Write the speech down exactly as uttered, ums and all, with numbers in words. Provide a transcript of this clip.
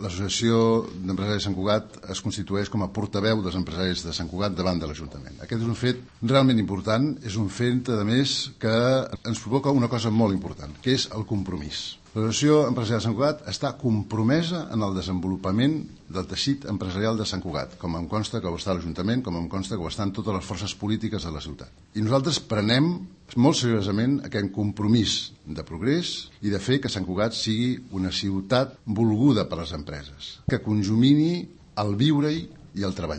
L'Associació d'Empresaris de Sant Cugat es constitueix com a portaveu dels empresaris de Sant Cugat davant de l'Ajuntament. Aquest és un fet realment important, és un fet, a més, que ens provoca una cosa molt important, que és el compromís. L'Associació Empresarial de Sant Cugat està compromesa en el desenvolupament del teixit empresarial de Sant Cugat, com em consta que ho està l'Ajuntament, com em consta que ho estan totes les forces polítiques de la ciutat. I nosaltres prenem molt seriosament aquest compromís de progrés i de fer que Sant Cugat sigui una ciutat volguda per les empreses, que conjumini el viure-hi i el treballar.